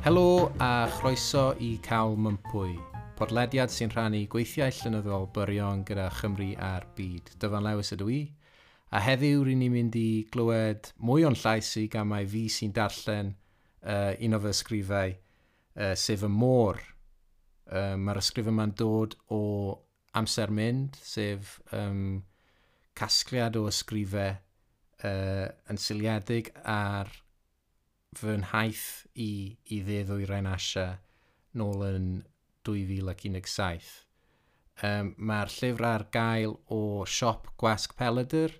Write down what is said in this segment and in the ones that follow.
Helo a chroeso i Cawl Mympwy, podlediad sy'n rhannu gweithiau llenyddol byrion gyda Chymru a'r byd. Dyfan Lewis ydw i, a heddiw ry'n ni'n mynd i glywed mwy o'n llais i gan mai fi sy'n darllen un o fy ysgrifau, sef Y Môr. Mae'r ysgrif yma'n dod o Amser Mynd, sef casgliad o ysgrifau yn seiliedig ar fy nhaith i Dde Ddwyrain Asia nôl yn 2017. Mae'r llyfr ar gael o siop Gwasg Pelydr,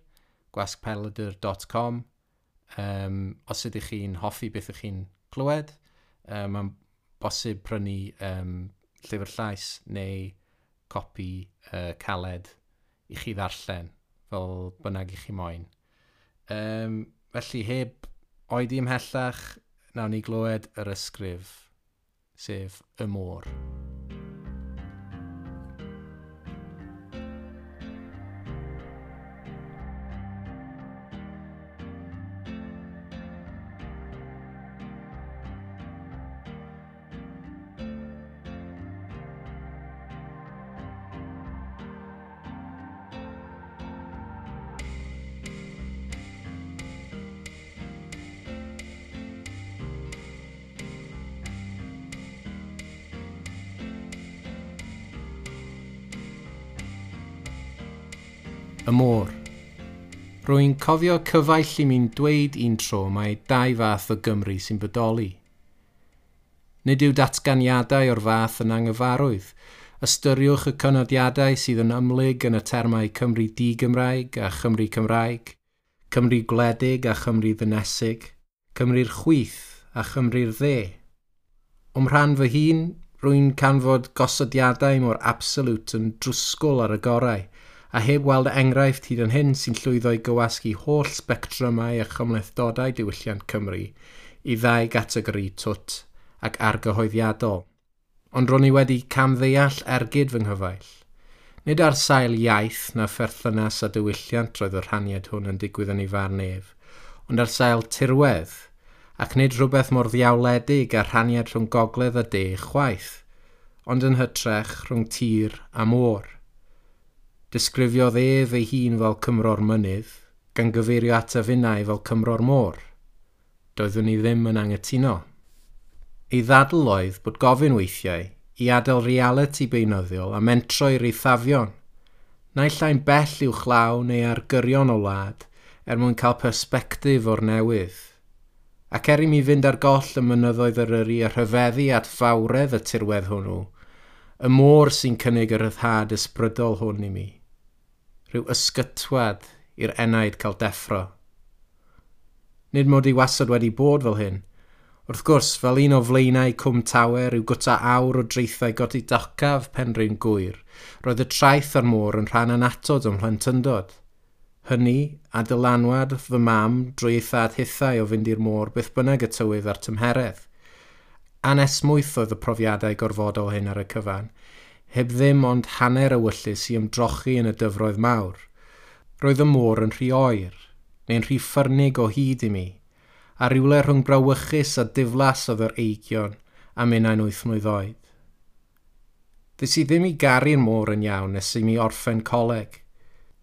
gwasgpelydr.com. Os ydych chi'n hoffi beth ydych chi'n clywed, mae'n bosib prynu llyfr llais neu copi caled i chi ddarllen, fel bynnag i chi moyn. Felly heb oedi ymhellach, nawn ni glywed yr ysgrif, sef Y Môr. Y môr. Rwy'n cofio cyfaill i mi'n dweud un tro mai dau fath o Gymru sy'n bodoli. Nid yw datganiadau o'r fath yn anghyfarwydd. Ystyriwch y cynodiadau sydd yn ymhlyg yn y termau Cymru di-Gymraeg a Chymru Cymraeg, Cymru gwledig a Chymru ddinesig, Cymru'r chwith a Chymru'r dde. O'm rhan fy hun, rwy'n canfod gosodiadau mor absolute yn drwsgwl ar y gorau, a heb weld enghraifft hyd yn hyn sy'n llwyddo i gywasgu holl sbectrymau a chymhlethdodau diwylliant Cymru i ddau gategori twt ac argyhoeddiadol. Ond ro'n i wedi camddeall ergyd fy nghyfaill. Nid ar sail iaith na pherthynas a diwylliant roedd y rhaniad hwn yn digwydd yn ei farn ef, ond ar sail tirwedd, ac nid rhywbeth mor ddiawledig a rhaniad rhwng gogledd a de chwaith, ond yn hytrach rhwng tir a môr. Disgrifiodd ef ei hun fel Cymro'r mynydd, gan gyfeirio at finnau fel Cymro'r môr. Doeddwn i ddim yn anghytuno. Ei ddadl oedd bod gofyn weithiau i adael realiti beunyddiol a mentro i'r eithafion, naill ai'n bell i'w chlaw neu ar gyrion o wlad er mwyn cael persbectif o'r newydd. Ac er i mi fynd ar goll y mynyddoedd Eryri a rhyfeddu at fawredd y tirwedd hwnnw, y môr sy'n cynnig y rhyddhad ysbrydol hwn i mi. Rhyw ysgytwad i'r enaid cael deffro. Nid mod i wastad wedi bod fel hyn. Wrth gwrs, fel un o flaenau Cwm Tawe, rhyw gwta awr o draethau godidocaf Penrhyn Gŵyr, roedd y traeth a'r môr yn rhan annatod o'm mhlentyndod. Hynny, a dylanwad fy mam drwy ei thad hithau o fynd i'r môr beth bynnag y tywydd a'r tymheredd. Anesmwyth oedd y profiadau gorfodol hyn ar y cyfan, heb ddim ond hanner ewyllys i ymdrochi yn y dyfroedd mawr. Roedd y môr yn rhy oer, neu'n rhy ffyrnig o hyd i mi, a rhywle rhwng brawychus a diflas oedd yr eigion a minnau'n 8 mlwydd oed. Ddes i ddim i garu'r môr yn iawn nes i mi orffen coleg.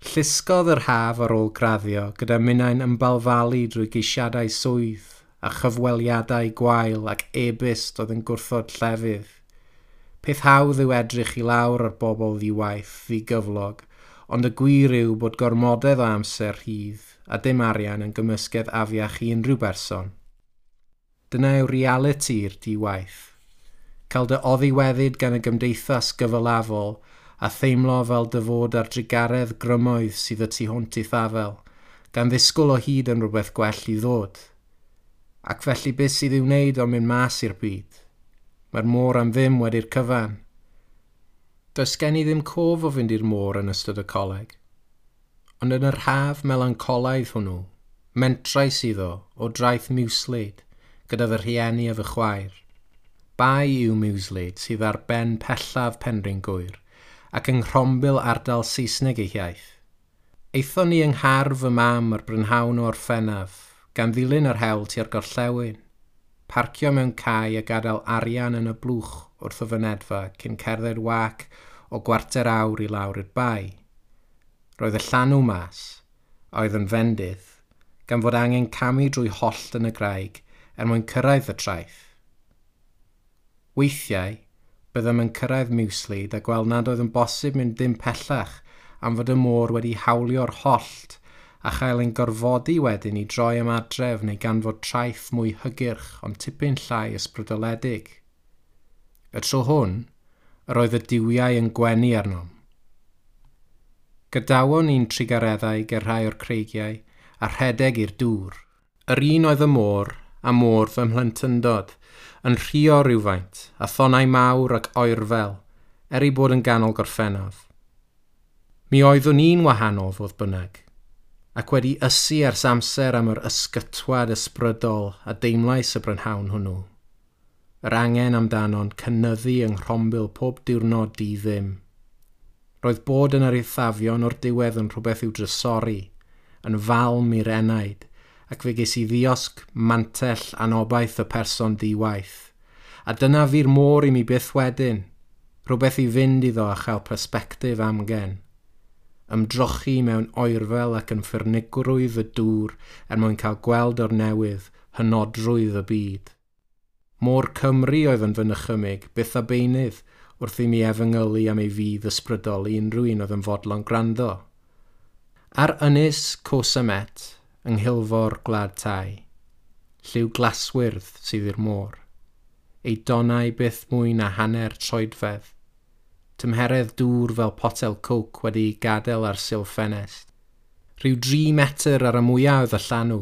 Llusgodd yr haf ar ôl graddio gyda minnau'n ymbalfalu drwy geisiadau swydd a chyfweliadau gwael ac e-byst oedd yn gwrthod llefydd. Peth hawdd yw edrych i lawr ar bobl ddiwaith, ddigyflog, ond y gwir yw bod gormodedd o amser rhydd a dim arian yn gymysgedd afiach i unrhyw berson. Dyna yw realiti'r diwaith. Cael dy oddiweddyd gan y gymdeithas gyfalafol a theimlo fel dy fod ar drugaredd grymoedd sydd y tu hwnt i'th afel, gan ddisgwyl o hyd yn rhywbeth gwell i ddod. Ac felly beth sydd i'w wneud ond mynd mas i'r byd? Mae'r môr am ddim wedi'r cyfan. Does gen i ddim cof o fynd i'r môr yn ystod y coleg. Ond yn yr haf melancolaidd hwnnw, mentrais iddo o draeth Mewslade gyda fy rhieni a fy chwaer. Bai yw Mewslade sydd ar ben pellaf Penrhyn Gŵyr ac yng nghrombil ardal Saesneg ei hiaith. Aethon ni yng nghar fy mam ar brynhawn o Orffennaf, gan ddilyn yr hewl tua'r gorllewin. parcio mewn cae a gadael arian yn y blwch wrth y fynedfa cyn cerdded wac o gwarter awr i lawr i'r bae. Roedd y llanw mas, a oedd yn fendith, gan fod angen camu drwy hollt yn y graig er mwyn cyrraedd y traeth. Weithiau, byddem yn cyrraedd Mewslade a gweld nad oedd yn bosib mynd dim pellach am fod y môr wedi hawlio'r hollt a chael ein gorfodi wedyn i droi am adref neu ganfod traeth mwy hygyrch ond tipyn llai ysbrydoledig. Y tro hwn, yr oedd y duwiau yn gwenu arnom. Gadawon ni'n trugareddau ger rhai o'r creigiau a rhedeg i'r dŵr. Yr un oedd y môr a môr fy mhlentyndod, yn rhuo rhywfaint, a thonau mawr ac oerfel, er ei bod yn ganol Gorffennaf. Mi oeddwn i'n wahanol fodd bynnag, ac wedi ysu ers amser am yr ysgytwad ysbrydol a deimlais y brynhawn hwnnw. Yr angen amdano'n cynyddu yng nghrombil pob diwrnod di ddim. Roedd bod yn yr eithafion o'r diwedd yn rhywbeth i'w drysori, yn falm i'r enaid, ac fe ges i ddiosg mantell anobaith y person di-waith. A dyna fu'r môr i mi byth wedyn, rhywbeth i fynd iddo a chael persbectif amgen. Ymdrochi mewn oerfel ac yn ffyrnigrwydd y dŵr er mwyn cael gweld o'r newydd hynodrwydd y byd. Môr Cymru oedd yn fy nychymyg, byth a beunydd, wrth i mi efengylu am ei fudd ysbrydol i unrhyw un oedd yn fodlon gwrando. Ar ynys Koh Samet, yng nghilfor Gwlad Thai, lliw glaswyrdd sydd i'r môr, ei donau byth mwy na hanner troedfedd, tymheredd dŵr fel potel coke wedi'i gadael ar sil ffenest. Rhyw 3 metr ar y mwyaf oedd y llanw.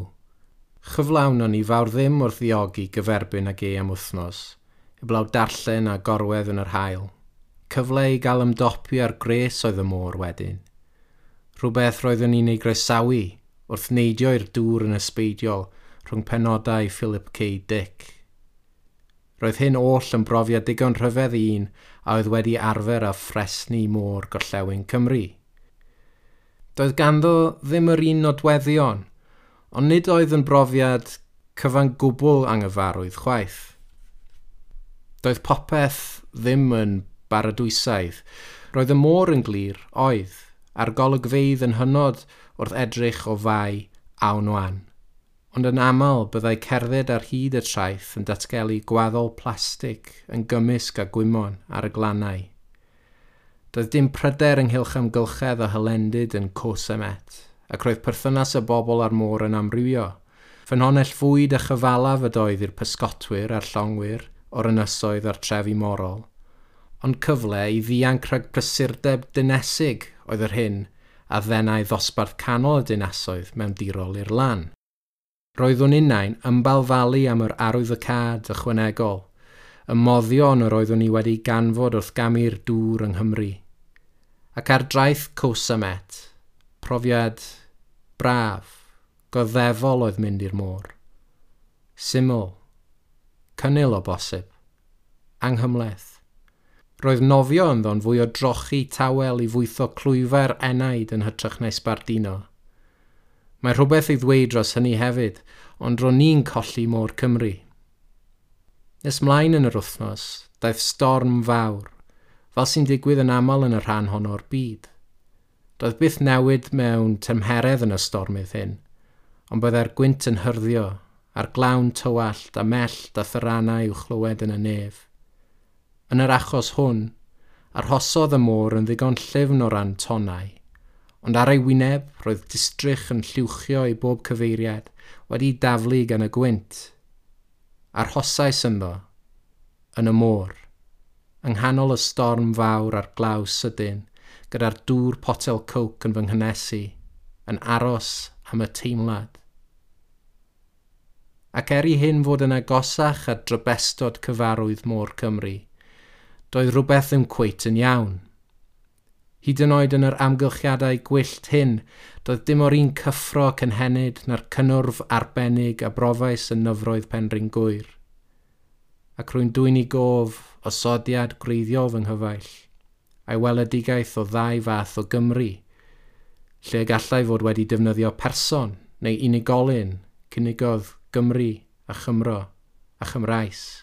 Chyflawn o'n i fawr ddim wrth ddiogi gyferbyn ag e am wythnos, heblaw darllen a gorwedd yn yr haul. Cyfle i gael ymdopi ar gres oedd y môr wedyn. Rhywbeth roeddwn i'n ei groesawu wrth neidio i'r dŵr yn ysbeidiol rhwng penodau Philip K. Dick. Roedd hyn oll yn brofiad digon rhyfedd i un a oedd wedi arfer â ffresni môr gorllewin Cymru. Doedd ganddo ddim yr un nodweddion, ond nid oedd yn brofiad cyfan gwbl anghyfarwydd chwaith. Doedd popeth ddim yn baradwysaidd. Roedd y môr yn glir, oedd, a'r golygfeydd yn hynod wrth edrych o fai Ao Nuan. Ond yn aml byddai cerdded ar hyd y traeth yn datgelu gwaddol plastig yn gymysg â gwymon ar y glannau. Doedd dim pryder ynghylch amgylchedd a hylendid yn Koh Samet, ac roedd perthynas y bobl a'r môr yn amrywio. Ffynhonnell fwyd a chyfalaf ydoedd i'r pysgotwyr a'r llongwyr o'r ynysoedd a'r trefi morol, ond cyfle i ddianc rhag prysurdeb dinesig oedd yr hyn a ddenai ddosbarth canol y dinasoedd mewn dirol i'r lan. Roeddwn innau'n ymbalfalu am yr arwyddocâd ychwanegol, y moddion yr oeddwn i wedi ganfod wrth gamu'r dŵr yng Nghymru. Ac ar draeth Koh Samet, profiad braf, goddefol oedd mynd i'r môr. Syml, cynnil o bosib, anghymhleth. Roedd nofio ynddo'n fwy o drochi tawel i fwytho clwyfau'r enaid yn hytrach na sbardino. Mae rhywbeth i ddweud dros hynny hefyd, ond ro'n ni'n colli môr Cymru. Nes mlaen yn yr wythnos, daeth storm fawr, fel sy'n digwydd yn aml yn y rhan hon o'r byd. Doedd byth newid mewn tymheredd yn y stormydd hyn, ond byddai'r gwynt yn hyrddio, a'r glawn tywallt a mellt a tharanau i'w chlywed yn y nef. Yn yr achos hwn, arhosodd y môr yn ddigon llyfn o ran tonnau, ond ar ei wyneb roedd distrych yn lluwchio i bob cyfeiriad wedi daflu gan y gwynt. Arhosais ynddo, yn y môr, yng nghanol y storm fawr a'r glaw sydyn, gyda'r dŵr potel coke yn fy nghynnesu, yn aros am y teimlad. Ac er i hyn fod yn agosach at drybestod cyfarwydd môr Cymru, doedd rhywbeth ddim cweit yn iawn. Hyd yn oed yn yr amgylchiadau gwyllt hyn, doedd dim o'r un cyffro cynhenid na'r cynnwrf arbennig a brofais yn nyfroedd Penrhyn Gŵyr. Ac rwy'n dwyn i gof osodiad gwreiddiol fy nghyfaill, a'i weledigaeth o ddau fath o Gymru, lle gallai fod wedi defnyddio person neu unigolyn cynigodd Gymru a Chymro a Chymraes.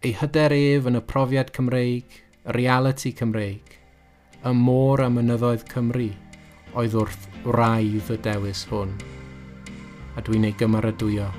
Ei hyder ef yn y profiad Cymreig, y reality Cymreig, y môr a mynyddoedd Cymru oedd wrth wraidd y dewis hwn. A dwi'n ei gymeradwyo.